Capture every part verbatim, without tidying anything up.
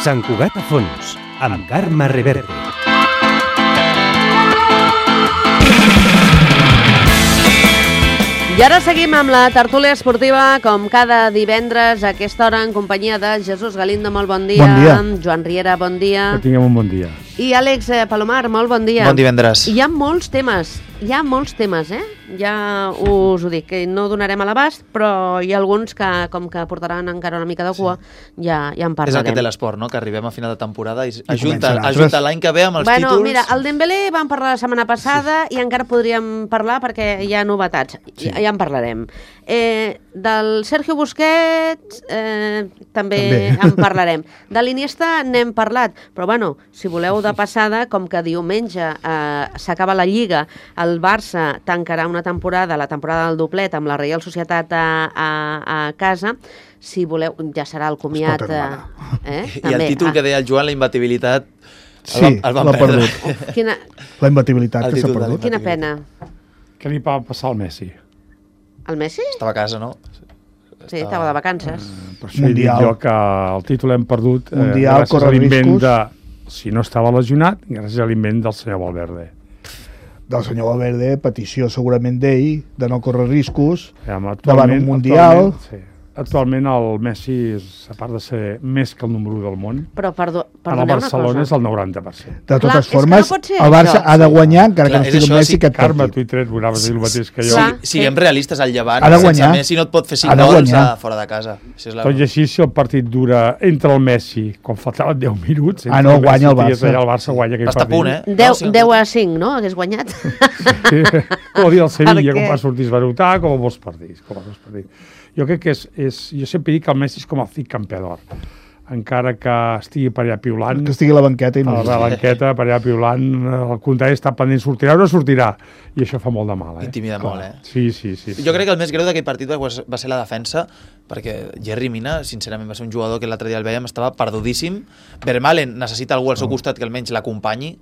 Sant Cugat a fons, amb Carme Reverte. I ara seguim amb la tertúlia esportiva, com cada divendres a aquesta hora, en companyia de Jesús Galindo, molt bon dia. Bon dia. Joan Riera, bon dia. Que tinguem un bon dia. I Àlex Palomar, molt bon dia. Bon divendres. Hi ha molts temes, hi ha molts temes, eh? Ja us ho dic, que no donarem a l'abast, però hi ha alguns que, com que portaran encara una mica de cua, sí. ja, ja en parlarem. És el que té l'esport, no? Que arribem a final de temporada i, I ajunta, ajunta l'any que ve amb els bueno, títols. Mira, el Dembélé vam parlar la setmana passada sí. i encara podríem parlar perquè hi ha novetats, sí. ja, ja en parlarem. Eh, del Sergio Busquets eh, també, també en parlarem. De l'Iniesta n'hem parlat, però bueno, si voleu de passada, com que diumenge eh, s'acaba la Lliga, el Barça tancarà una temporada, la temporada del doblet, amb la Reial Societat a, a, a casa, si voleu, ja serà el comiat. Eh, I també. El títol ah. que deia el Joan, la imbatibilitat, sí, el, el van perdre. Quina... La imbatibilitat que s'ha perdut. Quina pena. Què li va passar al Messi? El Messi? Estava a casa, no? Sí, estava, estava de vacances. Uh, per això he dit jo que el títol hem perdut eh, Mundial, gràcies a l'invent de... Si no estava lesionat, gràcies a l'invent del senyor Valverde. Del senyor Valverde, petició segurament d'ell, de no córrer riscos, ja, davant un Mundial... Actualment, sí. Actualment el Messi, és, a part de ser més que el número u del món, però perdó, a la Barcelona és el noranta per cent. De totes Clar, formes, no el Barça això. ha de guanyar, encara Clar, que no estigui això, Messi, sí, aquest Carme, partit. tu i tret volaves dir el mateix que jo. Sí, siguem realistes, al Llevant, ha de sense guanyar. Messi no et pot fer cinc Ha de gols guanyar. a fora de casa. Això és la... Tot i així, si el partit dura entre el Messi, com faltaven deu minuts, Ah, no, el guanya el Messi, Barça. el Barça guanya aquell Està a partit. punt, eh? deu, No, sí, deu a cinc, no? Hagués guanyat. Sí. Com dir el Sevilla, Perquè... com va sortir esbarutar, com a molts partits. Com a molts partits. Jo crec que és, és... Jo sempre dic que el Messi és com el fic campeador. Encara que estigui per allà piulant... Que estigui a la banqueta i no... A la banqueta, per allà piulant, el contrari està pendent, sortirà o no sortirà. I això fa molt de mal, eh? Intimida Clar. molt, eh? Sí, sí, sí. Jo crec que el més greu d'aquell partit va ser la defensa, perquè Yerry Mina, sincerament, va ser un jugador que l'altre dia el veiem, estava perdudíssim. Vermaelen necessita algú al seu costat que almenys l'acompanyi,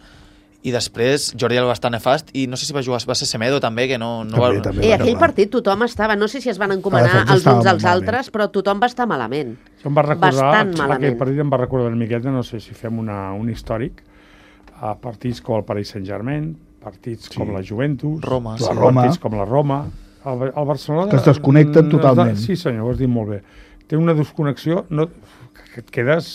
i després Jordi Alba està nefast, i no sé si va jugar, va ser Semedo també, que no... no també, va... també, I aquell partit tothom estava, no sé si es van encomanar els uns als altres, però tothom va estar malament. Això em va recordar, Bastant malament. aquell partit em va recordar una miqueta, no sé si fem una, un històric, a partits com el Paris Saint-Germain, partits sí. com la Juventus, Roma, la sí. Roma. partits com la Roma, el, el Barcelona... Que es desconnecten totalment. Sí, senyor, ho has dit molt bé. Té una desconnexió, no, que et quedes,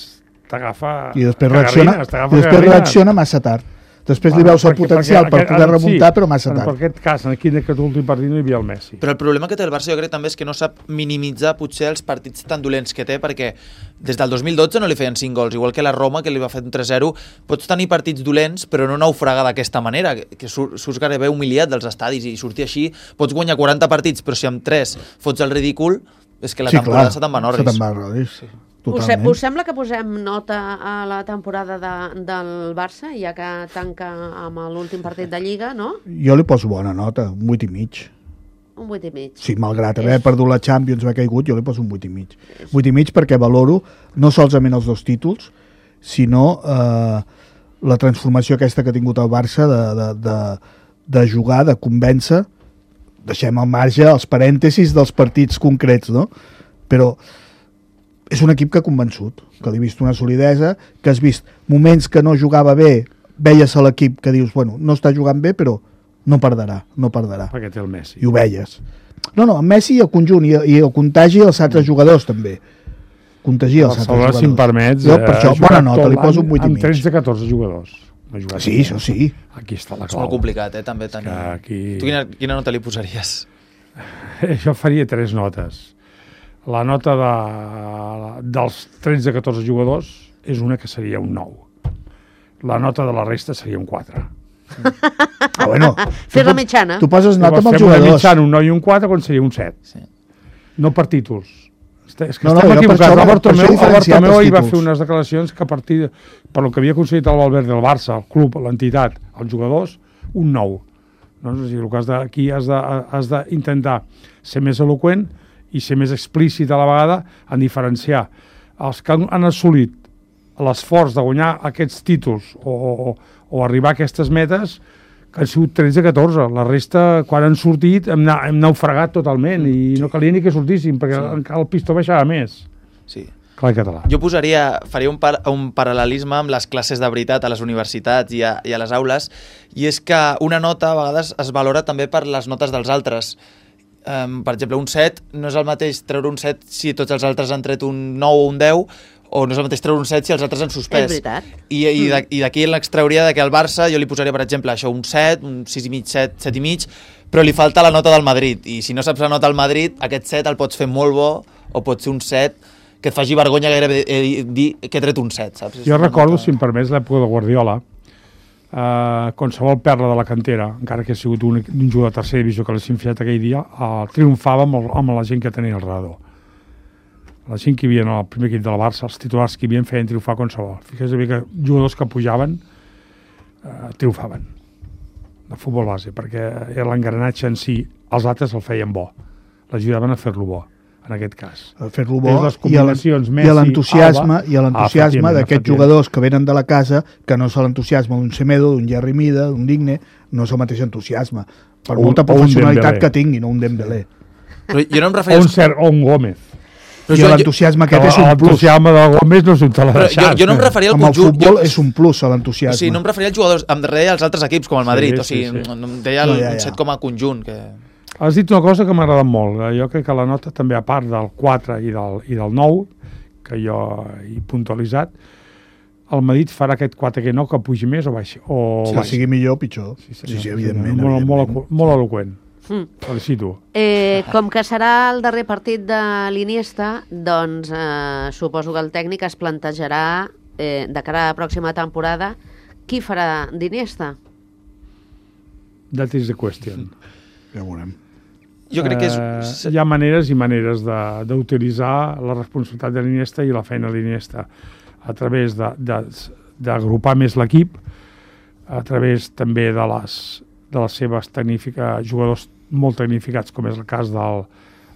t'agafa... I després reacciona, i després reacciona massa tard. Després li veus el potencial per poder remuntar, però massa tard. Per aquest cas, aquí en aquest últim partit no hi havia el Messi. Però el problema que té el Barça jo crec també és que no sap minimitzar potser els partits tan dolents que té, perquè des del dos mil dotze no li feien cinc gols, igual que la Roma, que li va fer un tres zero. Pots tenir partits dolents, però no naufragar d'aquesta manera, que surts gairebé humiliat dels estadis i sortir així. Pots guanyar quaranta partits, però si amb tres fots el ridícul, és que la sí, temporada clar, se te'n va en orris. Se te'n va en orris, sí. Us, us sembla que posem nota a la temporada de, del Barça, ja que tanca amb l'últim partit de Lliga, no? Jo li poso bona nota, un vuit i mig. Un vuit i mig. Sí, malgrat haver és... perdut la Champions, m'ha caigut, jo li poso un vuit i mig. vuit i mig perquè valoro no solament els dos títols, sinó eh, la transformació aquesta que ha tingut el Barça de, de, de, de jugar, de convèncer, deixem al marge els parèntesis dels partits concrets, no? Però és un equip que ha convençut, que li he vist una solidesa, que has vist moments que no jugava bé, veies a l'equip que dius, bueno, no està jugant bé, però no perdrà, no perdrà. Perquè té el Messi. I ho veies. No, no, el Messi i el conjunt, i, i el contagi als altres jugadors, també. Contagia els altres jugadors. Si em permets, jo, per això, bona nota, li poso un vuit i mig. Amb tretze catorze jugadors. Sí, això sí. Aquí està la clau. És molt complicat, eh, també tenir... Aquí... Tu quina, quina nota li posaries? Jo faria tres notes. La nota de, dels tretze catorze jugadors és una que seria un nou. La nota de la resta seria un quatre. Ah, bueno, Fer la mitjana. Tu poses nota amb els jugadors. Fem una mitjana, un nou i un quatre, quan seria un set. Sí. No per títols. És que no, estem no, equivocats. Això, Albert Tomeu ahir va títols. fer unes declaracions que a partir, de, per lo que havia aconseguit el Valverde, el Barça, el club, l'entitat, els jugadors, un nou. No? O sigui, el que has de, aquí has d'intentar ser més eloqüent i ser més explícit a la vegada en diferenciar els que han assolit l'esforç de guanyar aquests títols o, o, o arribar a aquestes metes, que han sigut tretze catorze. La resta, quan han sortit, hem, hem naufragat totalment i no calia ni que sortíssim, perquè sí. el pistó baixava més. Sí. Clar i català. Jo posaria, faria un, par, un paral·lelisme amb les classes de veritat a les universitats i a, i a les aules, i és que una nota a vegades es valora també per les notes dels altres. Um, per exemple, un set, no és el mateix treure un set si tots els altres han tret un nou o un deu, o no és el mateix treure un set si els altres han suspès. És veritat. I, i, de, i d'aquí l'extrauria de que al Barça jo li posaria, per exemple, això, un set, un sis i mig, set, set i mig, però li falta la nota del Madrid, i si no saps la nota del Madrid, aquest set el pots fer molt bo, o pot ser un set que et faci vergonya gairebé eh, dir que he tret un set, saps? Jo recordo, si em permets, l'època de Guardiola, eh, qualsevol perla de la cantera, encara que ha sigut un, un jugador de tercera divisió que l'ha sinfiat aquell dia, eh, triomfava amb, el, amb la gent que tenia al redador. La gent que hi havia en el primer equip del Barça, els titulars que hi havia feien triomfar qualsevol. Fixa't que jugadors que pujaven eh, triomfaven de futbol base, perquè l'engranatge en si, els altres el feien bo, l'ajudaven a fer-lo bo, en aquest cas. A fer-lo bo les i l'entusiasme i l'entusiasme ah, d'aquests jugadors que venen de la casa, que no és l'entusiasme d'un Semedo, d'un Jerry Mida, d'un Digne, no és el mateix entusiasme, per o, molta professionalitat que tinguin, no un Dembélé. Però jo no em refereixo... O un, Ser, o un Gómez. Però I l'entusiasme aquest és un plus. L'entusiasme de Gómez no és un te l'ha deixat. Jo, jo no em referia al conjunt. Amb el futbol jo... és un plus, l'entusiasme. O sigui, no em referia als jugadors, em deia als altres equips, com el Madrid. Sí, o sigui, sí, sí. no, em deia el, no, ja, ja. un set com a conjunt. Que... Has dit una cosa que m'ha agradat molt. Jo crec que la nota també, a part del quatre i del, i del nou, que jo he puntualitzat, el Madrid farà aquest quatre que no, que pugi més o baixi. O si baixi. sigui millor, pitjor. Sí, sí, sí, evidentment. Molt, evidentment. molt, molt eloqüent. Mm. Felicito. Eh, com que serà el darrer partit de l'Iniesta, doncs eh, suposo que el tècnic es plantejarà eh, de cara a la pròxima temporada qui farà d'Iniesta? That is the question. Ja ho veurem. Jo crec que és... Eh, hi ha maneres i maneres d'utilitzar la responsabilitat de l'Iniesta i la feina de l'Iniesta a través d'agrupar més l'equip, a través també de les, de les seves jugadors molt tecnificats, com és el cas del,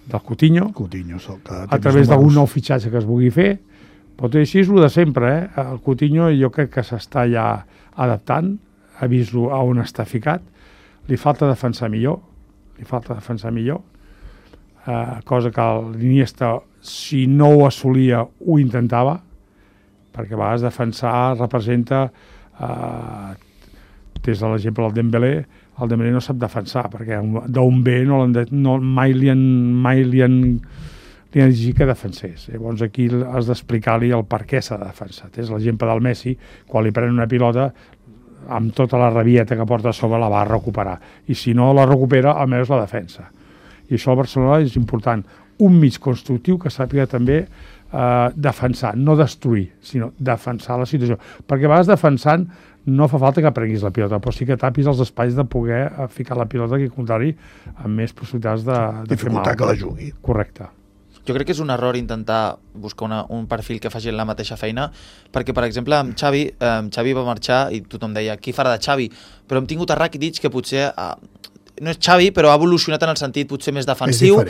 del Coutinho, Coutinho que a través d'algun nou fitxatge que es vulgui fer. Pot dir així, és el de sempre. Eh? El Coutinho jo crec que s'està ja adaptant, ha vist a on està ficat, li falta defensar millor, li falta defensar millor, eh, cosa que l'Iniesta, si no ho assolia, ho intentava, perquè a vegades defensar representa, eh, des de l'exemple del Dembélé, el Dembélé no sap defensar, perquè d'un B no de, no, mai li han, mai li han, li han exigit que defensés. Llavors aquí has d'explicar-li el per què s'ha de defensar. És l'exemple del Messi, quan li prenen una pilota, amb tota la rabieta que porta a sobre la va recuperar. I si no la recupera, almenys la defensa. I això al Barcelona és important. Un mig constructiu que sàpiga també eh, defensar, no destruir, sinó defensar la situació. Perquè a vegades defensant no fa falta que prenguis la pilota, però sí que tapis els espais de poder ficar la pilota, que al contrari, amb més possibilitats de, de fer mal. Dificultar que la jugui. Correcte. Jo crec que és un error intentar buscar una, un perfil que faci la mateixa feina, perquè, per exemple, amb Xavi, eh, Xavi va marxar i tothom deia, qui farà de Xavi? Però hem tingut a Rakitic, que potser... Eh, no és Xavi, però ha evolucionat en el sentit potser més defensiu.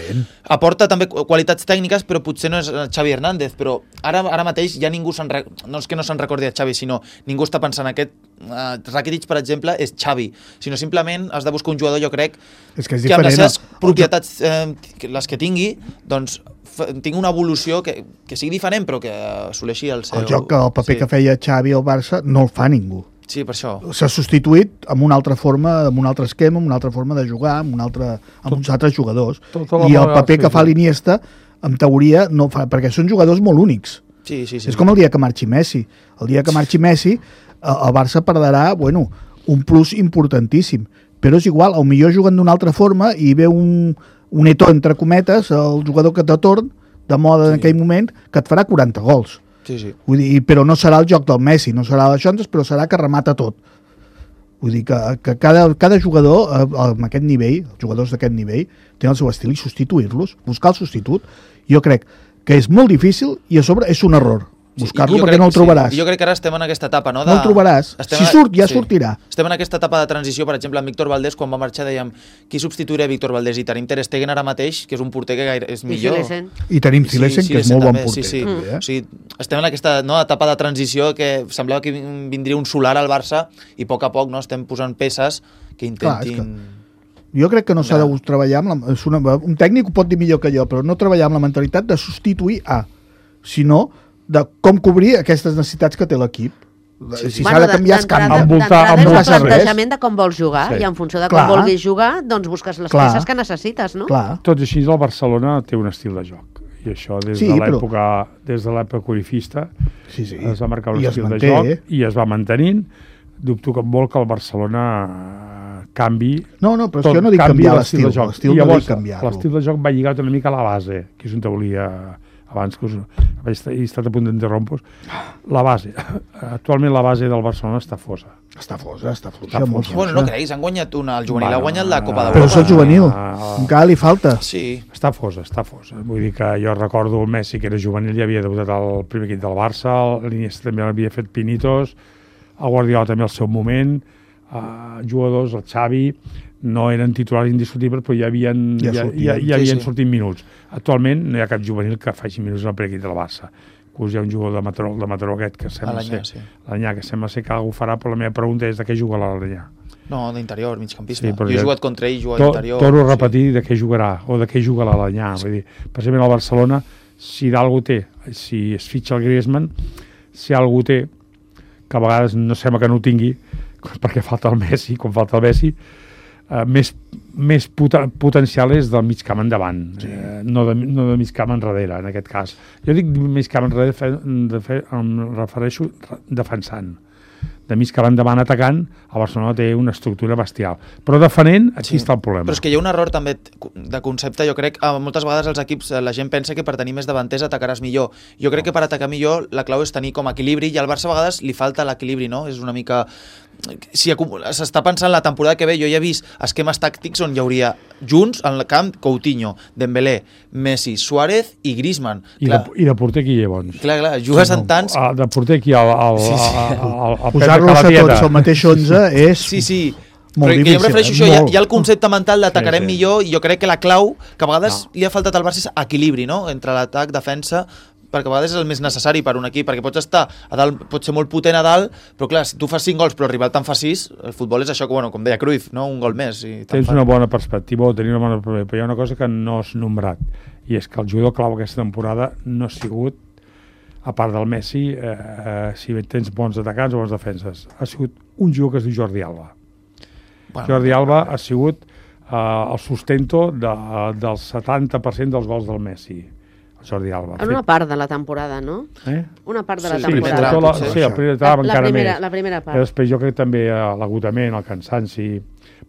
Aporta també qualitats tècniques, però potser no és Xavi Hernández. Però ara, ara mateix ja ningú se'n... No és que no se'n recordi a Xavi, sinó ningú està pensant aquest... Uh, Rakitic, per exemple, és Xavi. Sinó simplement has de buscar un jugador, jo crec, és que, és que amb les seves no? propietats, eh, les que tingui, doncs tingui una evolució que, que sigui diferent, però que assoleixi el seu... El joc, el paper sí. que feia Xavi al Barça, no el fa ningú. Sí, per això. S'ha substituït amb una altra forma, amb un altre esquema, amb una altra forma de jugar, amb, un altre, amb tot, uns altres jugadors. Tot, tot I el paper que fa l'Iniesta, en teoria, no fa, perquè són jugadors molt únics. Sí, sí, sí. És com el dia que marxi Messi. El dia que marxi Messi, el Barça perdrà, bueno, un plus importantíssim. Però és igual, al millor juguen d'una altra forma i ve un, un Eto'o, entre cometes, el jugador que te torn, de moda en aquell moment, que et farà quaranta gols. Sí, sí. Vull dir, però no serà el joc del Messi, no serà això, però serà que remata tot. Vull dir que, que cada, cada jugador amb aquest nivell, els jugadors d'aquest nivell, tenen el seu estil i substituir-los, buscar el substitut, jo crec que és molt difícil i a sobre és un error. Buscar-lo sí, perquè no el trobaràs. Sí. Jo crec que ara estem en aquesta etapa, no? De... No el trobaràs. Estem si surt, ja sí. sortirà. Estem en aquesta etapa de transició, per exemple, amb Víctor Valdés, quan va marxar dèiem qui substituirà Víctor Valdés, i tenim Ter Stegen ara mateix, que és un porter que gaire és millor. I, I tenim Silesen, sí, que és molt també, bon porter. Sí, sí. Mm. O sigui, estem en aquesta no, etapa de transició que semblava que vindria un solar al Barça i a poc a poc no, estem posant peces que intentin... Clar, que... Jo crec que no s'ha de treballar amb la... una... un tècnic ho pot dir millor que jo, però no treballar amb la mentalitat de substituir a... sinó de com cobrir aquestes necessitats que té l'equip. Sí, sí. Si s'ha de canviar, es canvia. Envoltar- D'entrada és envoltar el res. plantejament de com vols jugar, Sí. i en funció de Clar. com vulguis jugar, doncs busques les Clar. peces que necessites, no? Clar. Tot i així, el Barcelona té un estil de joc. I això des Sí, de però- l'època des de l'època corifista Sí, sí. es va marcar un I es estil manté, de joc eh? i es va mantenint. Dubto que molt que el Barcelona eh, canvi. No, no, però és tot, que jo no dic canvi canviar l'estil l'estil, de joc. l'estil I no llavors, dic canviar-lo. l'estil de joc va lligat una mica a la base, que és on te volia abans que us vaig estar, he estat a punt d'interrompre. La base. Actualment la base del Barcelona està fosa. Està fosa, està fluixa, Està molt fosa. Bueno, no fluixa. creguis, han guanyat una, el juvenil Bueno, ha guanyat la Copa Però d'Europa. és el juvenil, Ah. encara li falta. Sí, Està fosa, està fosa. Vull dir que jo recordo el Messi, que era juvenil, ja havia debutat al primer equip del Barça, l'Iniesta també havia fet pinitos, el Guardiola també al seu moment, uh, jugadors, el Xavi, no eren titulars indiscutibles, però ja havien, Ja ja, sortien. ja, ja Sí, havien sí. sortit minuts. Actualment no hi ha cap juvenil que faci minuts al primer equip del Barça. Inclús hi ha un jugador de Mataró, de Mataró aquest que sembla L'Anyà, ser... sí. L'Anyà, que sembla ser que algú farà, però la meva pregunta és de què juga l'Anyà. No, d'interior, migcampista. Sí, Sí, però jo he ja- jugat contra ell, jugat To- d'interior. Torno a repetir de què jugarà o de què juga l'Alanyà. Vull dir, precisament el Barcelona, si d'algú té, si es fitxa el Griezmann, si algú té, que a vegades no sembla que no ho tingui, perquè falta el Messi, com falta el Messi, eh, més, més poten potencial és del mig camp endavant, sí. eh, no, de, no de mig camp enrere, en aquest cas. Jo dic mig camp enrere, fe, de fe, em refereixo re- defensant. De mig camp endavant atacant, el Barcelona té una estructura bestial. Però defenent, aquí Sí. està el problema. Però és que hi ha un error també de concepte, jo crec, eh, moltes vegades els equips, eh, la gent pensa que per tenir més davanters atacaràs millor. Jo crec que per atacar millor la clau és tenir com equilibri, i al Barça a vegades li falta l'equilibri, no? És una mica... Si s'està pensant la temporada que ve, jo ja he vist esquemes tàctics on hi hauria junts en el camp Coutinho, Dembélé, Messi, Suárez i Griezmann. I, Clar, de, I de porter qui hi ha bons? clar, clar, jugues en tants... Ah, de porter aquí al, al, Sí, sí. al, al, al Posar-los a tots al mateix onze és... Sí, sí, Molt però que jo em difícil, refereixo a eh? això, hi ha, Molt. hi ha el concepte mental d'atacarem Sí, sí. millor, i jo crec que la clau, que a vegades No. li ha faltat al Barça, és equilibri, no?, entre l'atac, defensa, perquè a vegades és el més necessari per un equip, perquè pots estar a dalt, pots ser molt potent a dalt, però clar, si tu fas cinc gols però el rival te'n fa sis, el futbol és això que, bueno, com deia Cruyff, no?, un gol més. I te'n Tens fa- una bona perspectiva, o tenir una bona perspectiva, però hi ha una cosa que no has nombrat, i és que el jugador clau aquesta temporada no ha sigut, a part del Messi, eh, eh, si tens bons atacants o bons defenses, ha sigut un jugador que es diu Jordi Alba. Bueno, Jordi Alba ha sigut eh, el sustento de, del setanta per cent dels gols del Messi. El Jordi Alba. En una part de la temporada, no? Eh? Una part de la Sí, Sí, primer temporada. tram, sobretot la, potser. sí, el primer La, tram la, encara primera, més. la primera I part. després jo crec també eh, l'agotament, el cansanci,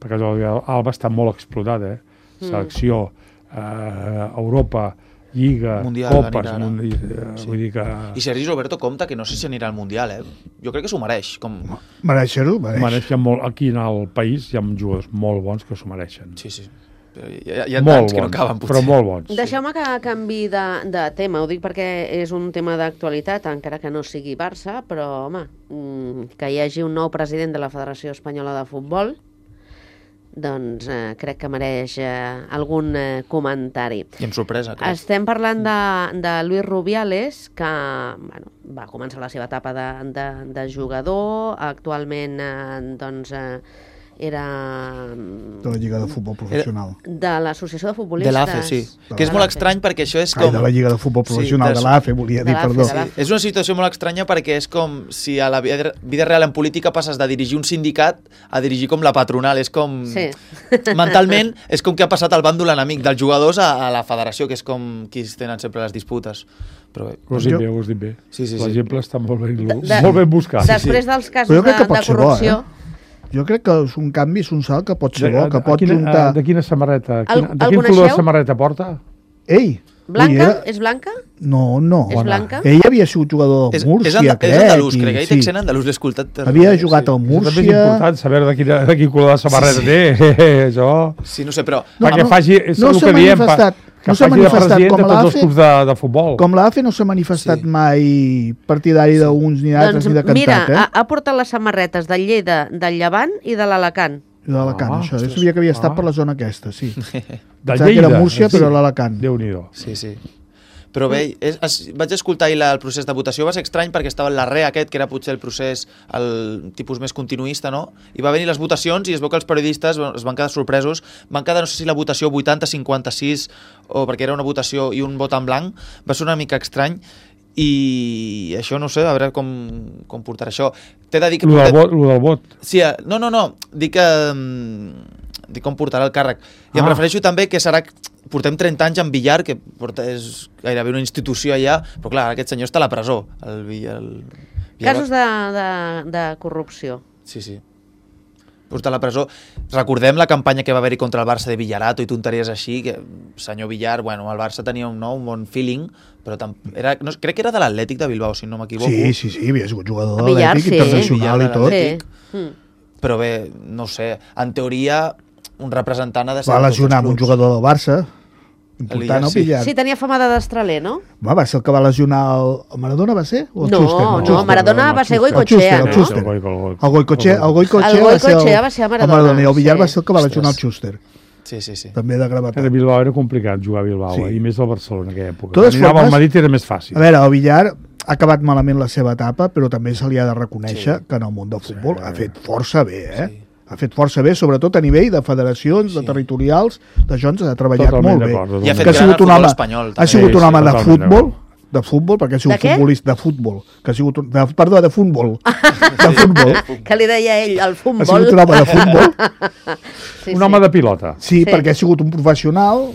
perquè el Jordi Alba està molt explotat, eh? Selecció, eh, Europa, Lliga, Mundial, Copes, anirà ara. mundi, eh, Sí. vull dir que... I Sergi Roberto compta que no sé si anirà al Mundial, eh? Jo crec que s'ho mereix. Com... Mereixer-ho, mereix. Mereix, hi ha molt, aquí en el país hi ha jugadors molt bons que s'ho mereixen. Sí, sí. Però hi ha, hi ha molt tants que no bons, acaben, potser. però molt bons. Deixeu-me que canvi de, de tema, ho dic perquè és un tema d'actualitat, encara que no sigui Barça, però, home, mm, que hi hagi un nou president de la Federació Espanyola de Futbol, doncs eh, crec que mereix eh, algun eh, comentari. I amb sorpresa, crec. Estem parlant de, de Luis Rubiales, que bueno, va començar la seva etapa de, de, de jugador, actualment eh, doncs, eh, era De la Lliga de Futbol Professional. de l'Associació de De Futbolistes. l'A F E, sí. De Que és l'A molt F E. estrany perquè això és Ai, com... de la Lliga de Futbol Professional, Sí, de l'A F E, volia de dir, l'A F E, perdó. de l'A F E. És una situació molt estranya perquè és com si a la vida vida real en política passes de dirigir un sindicat a dirigir com la patronal. És com... Sí. Mentalment és com que ha passat el bàndol enemic dels jugadors a, a la federació, que és com qui tenen sempre les disputes. Però bé, Ho has dit Jo- bé, ho has dit bé. Sí, sí, sí. L'exemple està molt ben, De- de- molt ben buscat. Després dels casos Però jo de, crec que pot de ser bo, corrupció... eh? Jo crec que és un canvi, és un salt que pot ser bo, que de, pot quina, juntar... de quina samarreta? El- Quina, el de quin color de coneixeu? samarreta porta? Ei! Blanca? ui, era- És blanca? No, no. És blanca? Ell havia sigut jugador és, del Múrcia, és, anda, crec. és andalús, i- crec. Ell té sí. accent andalús, l'he escoltat. Havia jugat al Això també és Múrcia... important, saber de, quina, de quin color de samarreta Sí, té. Això... Sí, no sé, però... No, perquè no, faci, és no el s'ha que diem, pa, manifestat, que no s'ha faci de manifestat president com de tots l'A els F E, clubs de, de futbol. Com l'A F E no s'ha manifestat Sí. mai partidari d'uns ni d'altres Doncs ni de cantat, mira, eh? ha, ha portat les samarretes del Lleida, del Llevant i de l'Alacant. I d'Alacant, Ah, això. Jo ostres. sabia que havia estat Ah. per la zona aquesta, sí. De Pensava que era Múrcia, sí. però a l'Alacant. Déu-n'hi-do. Sí, sí. Però bé, és, es, vaig escoltar ahir la, el procés de votació, va ser estrany perquè estava l'arrer aquest, que era potser el procés, el tipus més continuista, no? I va venir les votacions i es veu que els periodistes es van quedar sorpresos. Van quedar, no sé si la votació vuitanta cinquanta-sis, o perquè era una votació i un vot en blanc, va ser una mica estrany. i això no sé, a veure com, com portarà això. T'he de dir que... Lo del vot. Lo del vot. Sí, no, no, no, dic que... dic com portarà el càrrec. I em Ah. refereixo també que serà... Portem trenta anys en Villar, que porta, és gairebé una institució allà, però clar, aquest senyor està a la presó. El Villar, el Villar... Casos de, de, de corrupció. Sí, sí. Porta a la presó. Recordem la campanya que va haver-hi contra el Barça de Villarato i tonteries així, que senyor Villar, bueno, el Barça tenia un nou, un bon feeling, però tam... era, no, crec que era de l'Atlètic de Bilbao, si no m'equivoco. Sí, sí, sí, havia sigut jugador de Villar, l'Atlètic, sí. internacional i Villar, tot. Sí. Mm. Però bé, no sé, en teoria un representant ha de ser... Va de tots els lesionar amb un clubs. jugador del Barça, important, Villar, no, sí. Villar? Sí, tenia fama de destraler, no? Va, va ser el que va lesionar el, el Maradona, va ser? O el No, Schuster? no, El Schuster. Maradona va ser El Goicoechea, Schuster, el no? Schuster. El Goi- el Goi- El Goicoechea, el Goicoechea, El va ser Goicoechea va ser el Maradona, Maradona, i el Villar sí. va ser el que va Ostres. lesionar el Schuster. Sí, sí, sí. També de A gravetat. Bilbao era complicat jugar a Bilbao, Sí. eh? I més del Barcelona en aquella època. Totes Quan anava formes- al Madrid era més fàcil. A veure, el Villar ha acabat malament la seva etapa, però també se li ha de reconèixer Sí. que en el món del futbol Sí. ha fet força bé, eh? Sí. Ha fet força bé, sobretot a nivell de federacions, de Sí. territorials, d'això ens ha treballat Totalment molt bé. d'acord, I ha fet Que ha gran sigut el un futbol home, espanyol, ha també. sigut Sí, un sí, home de totalment futbol, d'acord. de futbol, perquè ha sigut De què? futbolista de futbol, que ha sigut un, de, perdó, de futbol, de futbol, Que li deia ell, el ha futbol. sigut un home de futbol, Sí, Un home de pilota. sí, Sí. perquè ha sigut un professional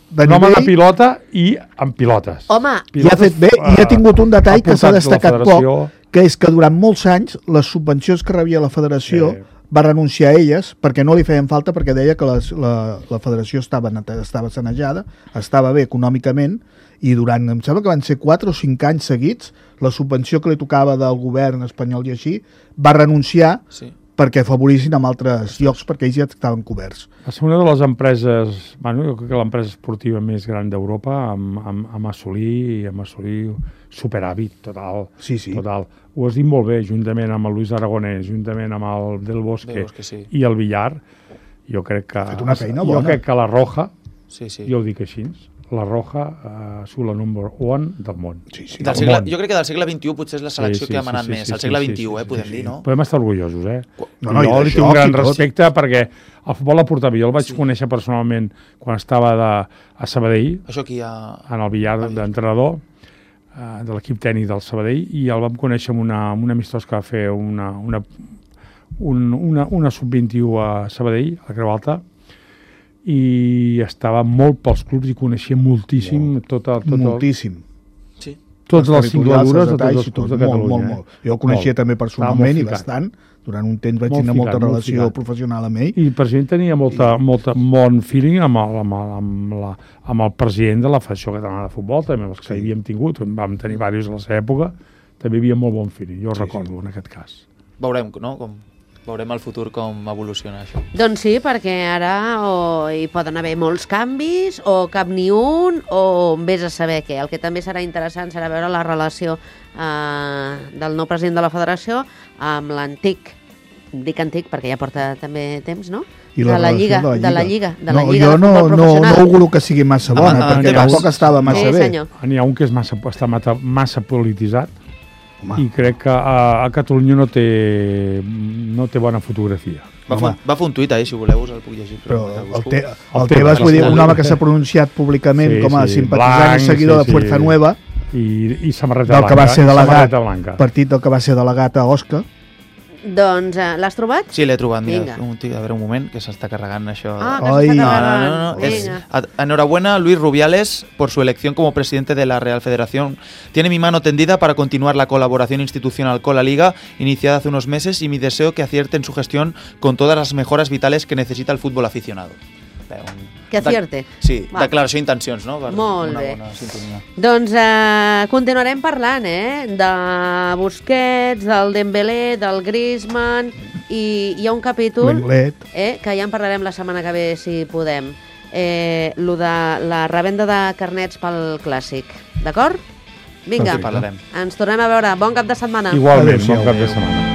de Un home de nivell, pilota i amb pilotes. Home, i ha fet bé, i ha tingut un detall que s'ha destacat poc, poc. que és que durant molts anys les subvencions que rebia la federació Sí. va renunciar a elles perquè no li feien falta, perquè deia que les, la, la federació estava, nete- estava sanejada, estava bé econòmicament, i durant, em sembla que van ser quatre o cinc anys seguits, la subvenció que li tocava del govern espanyol i així, va renunciar Sí. perquè afavorissin amb altres llocs, perquè ells ja estaven coberts. Va ser una de les empreses, bueno, jo crec que l'empresa esportiva més gran d'Europa, amb, amb, amb assolir, amb assolir superàvit total. Sí, sí. Total. Ho has dit molt bé, juntament amb el Luis Aragonès, juntament amb el Del Bosque, Del Bosque, sí. i el Villar, jo crec que... fet una feina jo bona. crec que la Roja, Sí, sí. jo ho dic així, la Roja ha sigut la number one del món. Sí, sí. Del Del segle, món. jo crec que del segle vint-i-u potser és la selecció Sí, sí, que ha sí, manat sí, més. sí, Al segle sí, vint-i-u, sí, eh, sí, podem sí, dir, sí. no? Podem estar orgullosos, eh? No, no, i jo de li tinc un joc gran i tot. respecte perquè el futbol la porta bé. Jo el vaig sí. conèixer personalment quan estava de, a Sabadell, Això aquí ha... en el billar d'entrenador eh, de l'equip tècnic del Sabadell, i el vam conèixer amb una, amb una amistós que va fer una, una, un, una, una sub vint-i-u a Sabadell, a Creu Alta, i estava molt pels clubs i coneixia moltíssim Molt. tot, el, tot el, Moltíssim. Sí. totes les territorials, singladures els de tots detalls els i clubs tot, de Catalunya. Molt, molt, molt. Jo el coneixia Molt. també Estava personalment molt i ficat. bastant. Durant un temps vaig Molt tenir molta ficat, molt relació ficat. professional amb ell. I el president tenia molta, molta bon feeling amb el, amb, el, amb, la, amb el president de la Federació Catalana de Futbol, també els que Sí. havíem tingut, vam tenir diversos a la seva època, també hi havia molt bon feeling, jo ho Sí, recordo sí. en aquest cas. Veurem, no? Com... Veurem al futur com evoluciona això. doncs sí, perquè ara o hi poden haver molts canvis, o cap ni un, o vés a saber què. El que també serà interessant serà veure la relació eh, del nou president de la federació amb l'antic, dic antic perquè ja porta també temps, no? I de, la relació lliga, de la Lliga, de la no, Lliga jo de no, futbol no, professional. no auguro que sigui massa bona, Ah, ah, perquè ah, tampoc estava massa sí, bé. senyor. N'hi ha un que és massa, està massa, massa polititzat, Home, i crec que a, a Catalunya no té, no té bona fotografia. Va, fer, Home. un- va fer un tuit ahí, si voleu, us el puc llegir. però el el, busco. te, El el Tebas, Tebas, vull dir, el un home que s'ha pronunciat públicament Sí, com a sí, simpatitzant blanc, i seguidor sí, de Fuerza sí. Nueva, I, i samarreta del blanca. que va ser i delegat, samarreta blanca. partit del que va ser delegat a Osca. Doncs eh, l'has trobat? Sí, l'he trobat, mira, Vinga. un, a veure un moment, que s'està carregant això. Ah, que Ai. s'està No, carregant. no, no, no. Es, Vinga. a- enhorabuena, Luis Rubiales, por su elección como presidente de la Real Federación. Tiene mi mano tendida para continuar la colaboración institucional con la Liga, iniciada hace unos meses, y mi deseo que acierte en su gestión con todas las mejoras vitales que necesita el fútbol aficionado. Bé, un- Que acierte. Sí, Va. declaració d'intencions, no? Per Molt una bé. bona sintonia. Doncs eh, continuarem parlant, eh? De Busquets, del Dembélé, del Griezmann, i hi ha un capítol L'Englet. eh, que ja en parlarem la setmana que ve, si podem. Eh, lo de la revenda de carnets pel Clàssic. D'acord? Vinga, En parlarem. ens tornem a veure. Bon cap de setmana. Igualment, Adéu-siau. bon cap de setmana.